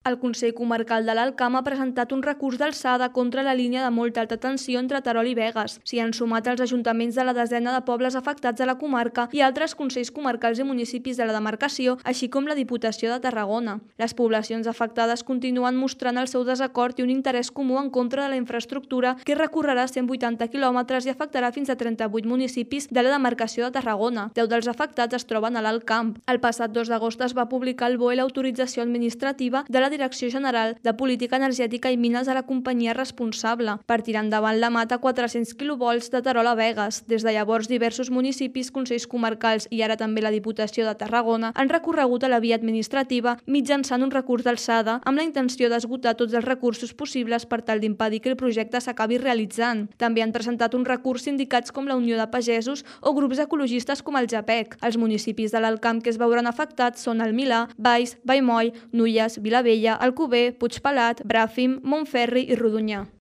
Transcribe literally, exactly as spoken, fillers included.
El Consell Comarcal de l'Alt Camp ha presentat un recurs d'alçada contra la línia de molt alta tensió entre Terol i Begues. S'hi han sumat els ajuntaments de la desena de pobles afectats a la comarca i altres consells comarcals i municipis de la demarcació, així com la Diputació de Tarragona. Les poblacions afectades continuen mostrant el seu desacord i un interès comú en contra de la infraestructura que recorrerà cent vuitanta quilòmetres i afectarà fins a trenta-vuit municipis de la demarcació de Tarragona. Deu dels afectats es troben a l'Alt Camp. El passat dos d'agost es va publicar el B O E l'autorització administrativa de la Direcció General de Política Energètica i Mines a la companyia responsable per tirar endavant la mata a quatre-cents quilovolts de Terol a Begues. Des de llavors, diversos municipis, consells comarcals i ara també la Diputació de Tarragona han recorregut a la via administrativa mitjançant un recurs d'alçada amb la intenció d'esgotar tots els recursos possibles per tal d'impedir que el projecte s'acabi realitzant. També han presentat un recurs sindicats com la Unió de Pagesos o grups ecologistes com el JAPEC. Els municipis de l'Alt Camp que es veuran afectats són el Milà, Valls, Vallmoll, Nulles, Vilavella, Alcover, Puigpelat, Bràfim, Montferri i Rodonyà.